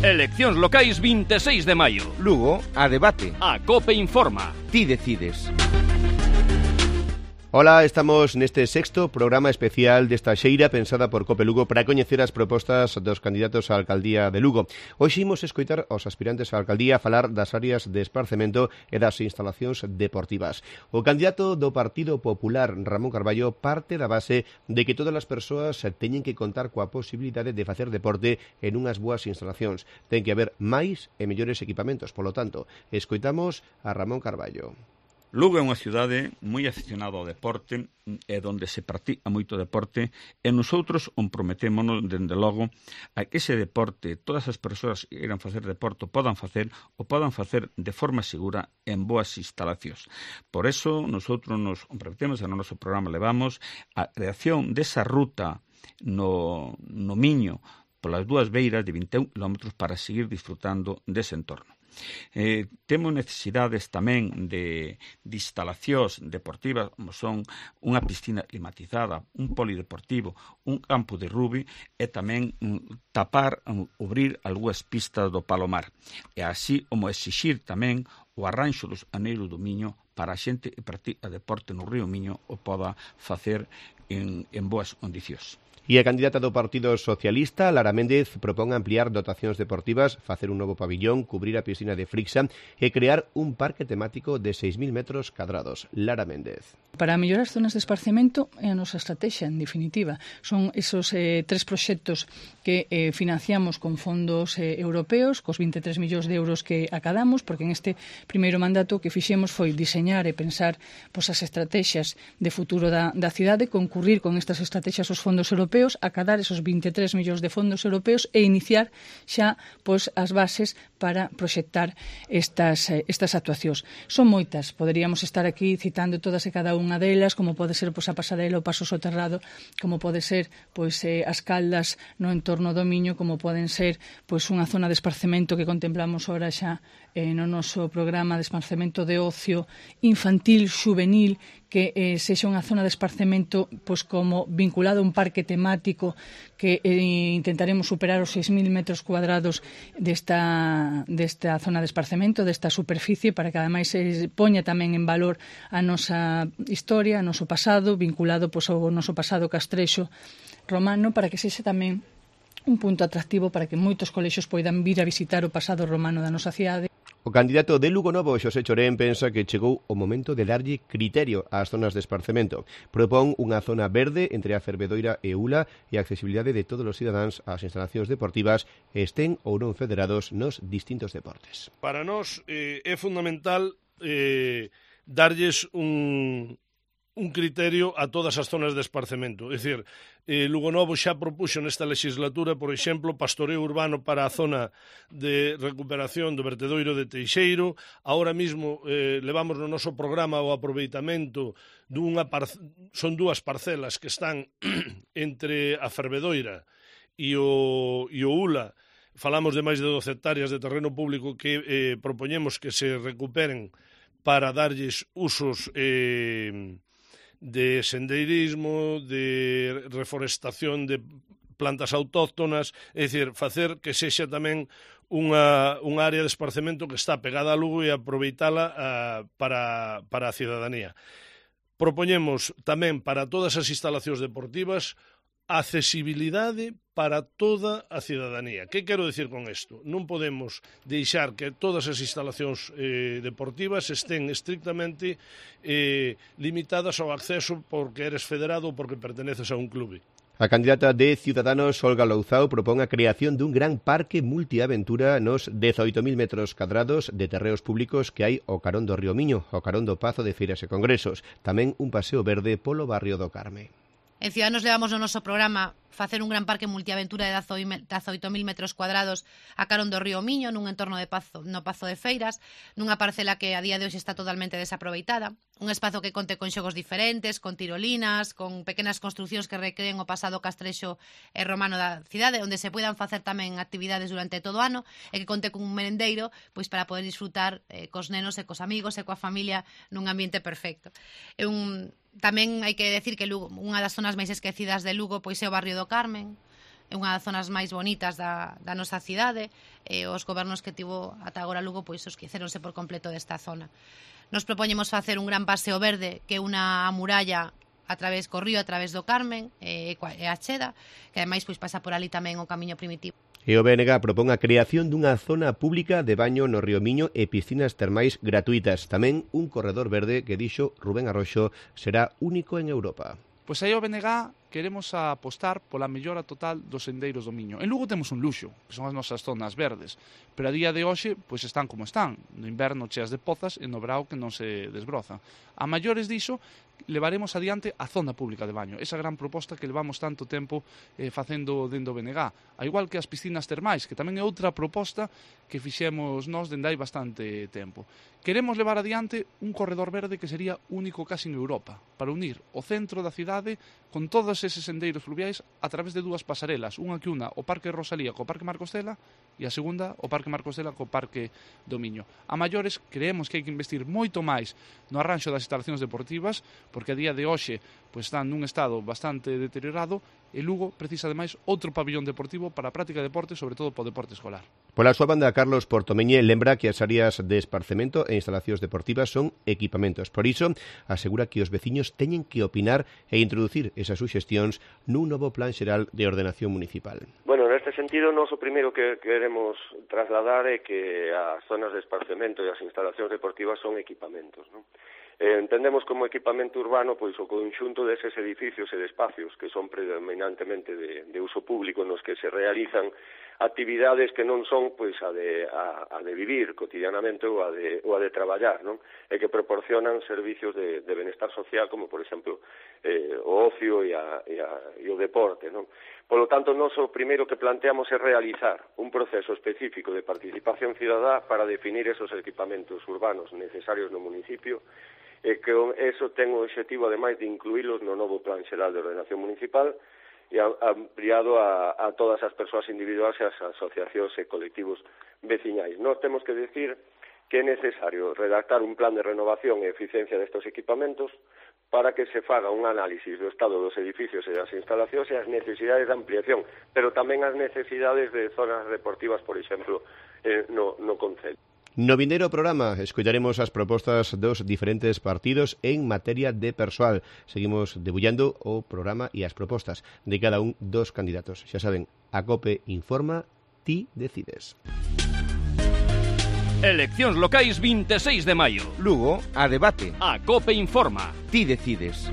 Eleccións locais 26 de maio. Lugo, a debate. A COPE informa. Ti decides. Ola, estamos neste sexto programa especial desta xeira pensada por COPE Lugo para coñecer as propostas dos candidatos á alcaldía de Lugo. Hoxe imos escoitar aos aspirantes á alcaldía falar das áreas de esparcemento e das instalacións deportivas. O candidato do Partido Popular, Ramón Carballo, parte da base de que todas as persoas teñen que contar coa posibilidade de facer deporte en unhas boas instalacións. Ten que haber máis e mellores equipamentos, polo tanto, escoitamos a Ramón Carballo. Lugo é unha cidade moi aficionada ao deporte e onde se practica moito deporte e nosotros comprometémonos, dende logo, a que ese deporte, todas as persoas que queiran facer deporte podan facer de forma segura en boas instalacións. Por eso, nosotros nos comprometemos, e no noso programa levamos a creación desa ruta no Miño polas dúas beiras de 21 km para seguir disfrutando dese entorno. Temos necesidades tamén de instalacións deportivas, como son unha piscina climatizada, un polideportivo, un campo de rugby e tamén abrir algunhas pistas do Palomar. E así como exixir tamén o arranxo dos aneiros do Miño para a xente que practica deporte no río Miño o poda facer en boas condicións. E a candidata do Partido Socialista, Lara Méndez, propón ampliar dotacións deportivas, facer un novo pabillón, cubrir a piscina de Frixa e crear un parque temático de 6.000 metros cadrados. Lara Méndez. Para mellorar as zonas de esparcemento é a nosa estrategia, en definitiva. Son esos tres proxectos que financiamos con fondos europeos, cos 23 millóns de euros que acadamos, porque en este primeiro mandato que fixemos foi diseñar e pensar as estrategias de futuro da cidade, concurrir con estas estrategias aos fondos europeos, acadar esos 23 millóns de fondos europeos e iniciar xa as bases para proxectar estas actuacións. Son moitas, poderíamos estar aquí citando todas e cada unha delas, como pode ser a Pasarela, o Paso Soterrado, como pode ser as Caldas no entorno do Miño, como poden ser unha zona de esparcemento que contemplamos ora xa no noso programa de esparcemento de ocio infantil, juvenil, que sexa unha zona de esparcemento como vinculado a un parque temático que intentaremos superar os 6.000 metros cuadrados desta zona de esparcemento, desta superficie, para que ademais se poña tamén en valor a nosa historia, o noso pasado, vinculado ao noso pasado castrexo romano, para que sexa tamén un punto atractivo para que moitos colexios poidan vir a visitar o pasado romano da nosa cidade. O candidato de Lugo Novo, Xosé Chorén, pensa que chegou o momento de darlle criterio ás zonas de esparcemento. Propón unha zona verde entre a Fervedoira e Ula e a accesibilidade de todos os cidadáns ás instalacións deportivas, estén ou non federados nos distintos deportes. Para nós é fundamental darlles un criterio a todas as zonas de esparcemento. É dicir, Lugo Novo xa propuxo nesta legislatura, por exemplo, pastoreo urbano para a zona de recuperación do vertedoiro de Teixeiro. Ahora mismo levamos no noso programa o aproveitamento son dúas parcelas que están entre a Fervedoira e o Ula. Falamos de máis de 12 hectáreas de terreno público que propoñemos que se recuperen para darlles usos de sendeirismo, de reforestación de plantas autóctonas, é dicir, facer que sexa tamén unha área de esparcemento que está pegada a Lugo e aproveitala para a cidadanía. Propoñemos tamén para todas as instalacións deportivas accesibilidade para toda a cidadanía. Que quero dicir con isto? Non podemos deixar que todas as instalacións deportivas estén estrictamente limitadas ao acceso porque eres federado ou porque perteneces a un clube. A candidata de Ciudadanos, Olga Louzao, propón a creación dun gran parque multiaventura nos 18.000 metros cadrados de terreos públicos que hai ao carón do río Miño, ao carón do Pazo de Feiras e Congresos. Tamén un paseo verde polo barrio do Carme. En Ciudadanos levamos no noso programa facer un gran parque multiaventura de 18.000 metros cuadrados a carón do río Miño, nun entorno no Pazo de Feiras, nunha parcela que a día de hoxe está totalmente desaproveitada, un espazo que conte con xogos diferentes, con tirolinas, con pequenas construcións que recreen o pasado castrexo e romano da cidade, onde se poidan facer tamén actividades durante todo o ano e que conte con un merendeiro para poder disfrutar cos nenos e cos amigos e coa familia nun ambiente perfecto. Tamén hai que decir que Lugo, unha das zonas máis esquecidas de Lugo é o barrio do Carmen, é unha das zonas máis bonitas da nosa cidade, os gobernos que tivo ata agora Lugo pois esqueceronse por completo desta zona. Nos propoñemos facer un gran paseo verde que unha muralla a través co río, a través do Carmen e a Cheda, que ademais pois pasa por ali tamén o camiño primitivo. E o BNG propón a creación dunha zona pública de baño no río Miño e piscinas termais gratuitas. Tamén un corredor verde que dixo Rubén Arroxo será único en Europa. Pois aí o BNG queremos apostar pola mellora total dos sendeiros do Miño. En Lugo temos un luxo, que son as nosas zonas verdes, pero a día de hoxe pois están como están. No inverno cheas de pozas e no verao que non se desbrozan. A maiores diso, levaremos adiante a zona pública de baño, esa gran proposta que levamos tanto tempo facendo dentro do BNG, a igual que as piscinas termais, que tamén é outra proposta que fixemos nós dende hai bastante tempo. Queremos levar adiante un corredor verde que sería único casi en Europa, para unir o centro da cidade con todos eses sendeiros fluviais a través de dúas pasarelas, unha que una o Parque Rosalía co Parque Marcos Cela e a segunda o Parque Marcos Cela co Parque do Miño. A maiores creemos que hai que investir moito máis no arranxo das instalacións deportivas, porque a día de hoxe pois están nun estado bastante deteriorado e Lugo precisa ademais outro pabillón deportivo para a práctica de deporte, sobre todo para o deporte escolar. Pola súa banda, Carlos Portomeñe lembra que as áreas de esparcemento e instalacións deportivas son equipamentos. Por iso, asegura que os veciños teñen que opinar e introducir esas suxestións nun novo plan xeral de ordenación municipal. Bueno, neste sentido, nós o primeiro que queremos trasladar é que as zonas de esparcemento e as instalacións deportivas son equipamentos, non? Entendemos como equipamento urbano pois o conxunto deses edificios e de espacios que son predominantemente de uso público nos que se realizan actividades que non son pois a de vivir cotidianamente ou a de traballar, non? E que proporcionan servicios de benestar social como por exemplo o ocio e o deporte, non? Por lo tanto, nós o primeiro que planteamos é realizar un proceso específico de participación cidadá para definir esos equipamentos urbanos necesarios no municipio e que eso ten o objetivo, ademais, de incluílos no novo Plan Xeral de Ordenación Municipal e ampliado a todas as persoas individuais e as asociacións e colectivos veciñais. Nós temos que decir que é necesario redactar un plan de renovación e eficiencia destes equipamentos para que se faga un análisis do estado dos edificios e das instalacións e as necesidades de ampliación, pero tamén as necesidades de zonas deportivas, por exemplo, no concello. No vindeiro programa escoitaremos as propostas dos diferentes partidos en materia de persoal. Seguimos debullando o programa e as propostas de cada un dos candidatos. Xa saben, a COPE informa, ti decides. Eleccións locais 26 de maio. Lugo, a debate. A COPE informa. Ti decides.